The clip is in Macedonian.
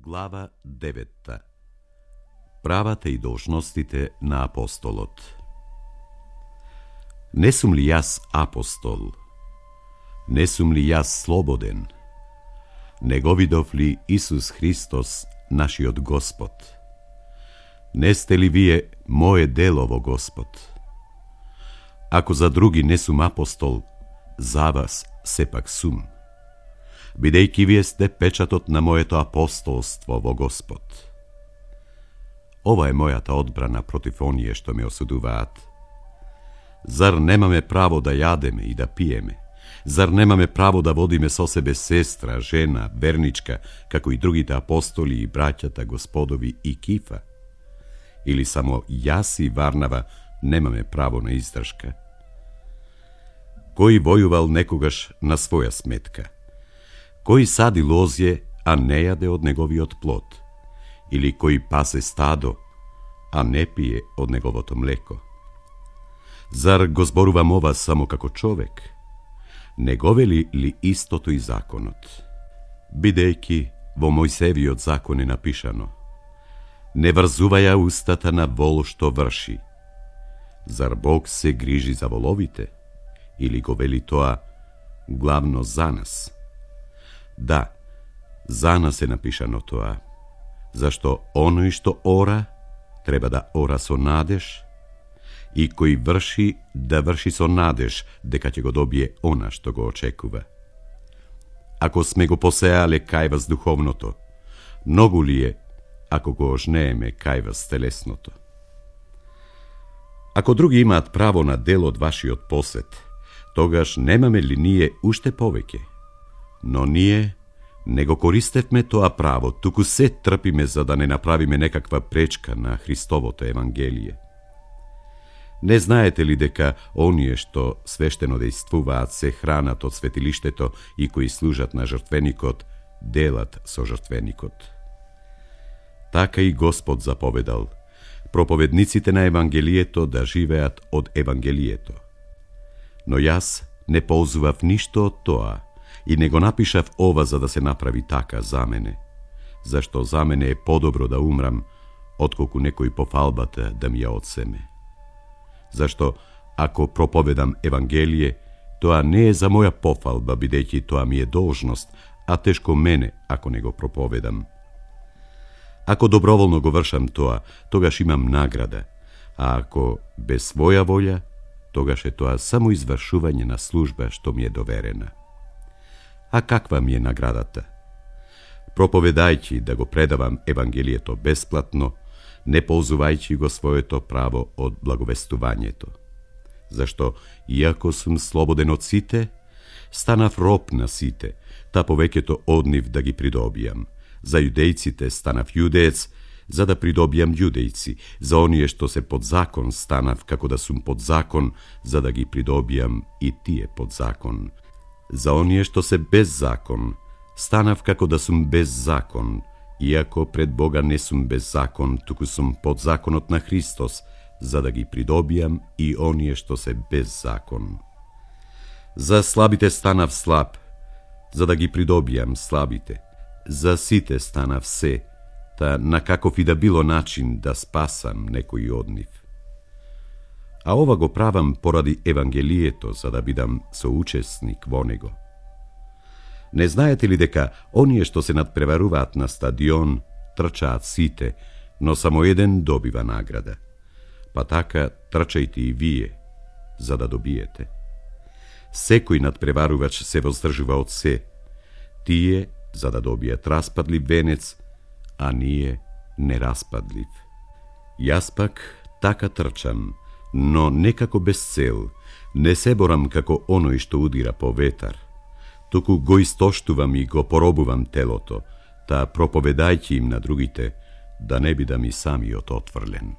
Глава 9. Правата и должностите на апостолот. Не сум ли јас апостол? Не сум ли јас слободен? Не го видов ли Исус Христос, нашиот Господ? Не сте ли вие мое дело во Господ? Ако за други не сум апостол, за вас сепак сум, бидејќи вие сте печатот на моето апостолство во Господ. Ова е мојата одбрана против оние што ме осудуваат. Зар немаме право да јадеме и да пиеме? Зар немаме право да водиме со себе сестра, жена, верничка, како и другите апостоли и браќата Господови и Кифа? Или само јас и Варнава немаме право на издршка? Кој војувал некогаш на своја сметка? Кој сади лозје, а не јаде од неговиот плод? Или кој пасе стадо, а не пие од неговото млеко? Зар го зборувам ова само како човек? Не го вели ли истото и законот? Бидејќи во Мојсевиот закон е напишано: не врзуваја устата на вол што врши. Зар Бог се грижи за воловите? Или го вели тоа главно за нас? Да, за нас е напишано тоа, зашто оној што ора, треба да ора со надеж, и кој врши, да врши со надеж, дека ќе го добие она што го очекува. Ако сме го посеале кај вас духовното, многу ли е, ако го ожнееме кај вас телесното? Ако други имаат право на дел од вашиот посет, тогаш немаме ли ние уште повеќе? Но ние не го користевме тоа право, туку се трпиме за да не направиме некаква пречка на Христовото Евангелие. Не знаете ли дека оние што свештено дејствуваат се хранат од светилиштето и кои служат на жртвеникот, делат со жртвеникот? Така и Господ заповедал проповедниците на Евангелието да живеат од Евангелието. Но јас не ползував ништо од тоа и не го напишав ова за да се направи така за мене, зашто за мене е подобро да умрам, отколку некој по фалбата да ми ја одсеме. Зашто, ако проповедам Евангелие, тоа не е за моја пофалба, бидејќи тоа ми е должност, а тешко мене ако не го проповедам. Ако доброволно го вршам тоа, тогаш имам награда, а ако без своја волја, тогаш е тоа само извршување на служба што ми е доверена. А каква ми е наградата? Проповедајќи да го предавам Евангелието бесплатно, не ползувајќи го своето право од благовестувањето. Зашто, иако сум слободен од сите, станав роб на сите, та повеќето од нив да ги придобијам. За јудејците станав јудеец, за да придобијам јудејци. За оние што се под закон станав како да сум под закон, за да ги придобијам и тие под закон. За оние што се без закон, станав како да сум без закон, иако пред Бога не сум без закон, туку сум под законот на Христос, за да ги придобијам и оние што се без закон. За слабите станав слаб, за да ги придобијам слабите. За сите станав се, та на каков и да било начин да спасам некој од нив. А ова го правам поради Евангелието, за да бидам соучесник во него. Не знаете ли дека оние што се надпреваруваат на стадион трчаат сите, но само еден добива награда? Па така трчајте и вие, за да добиете. Секој надпреварувач се воздржува од се, тие за да добијат распадлив венец, а ние нераспадлив. Јас пак така трчам, но некако без цел, не се борам како оној што удира по ветар, туку го истоштувам и го поробувам телото, та проповедајќи им на другите, да не бидам и самиот отврлен.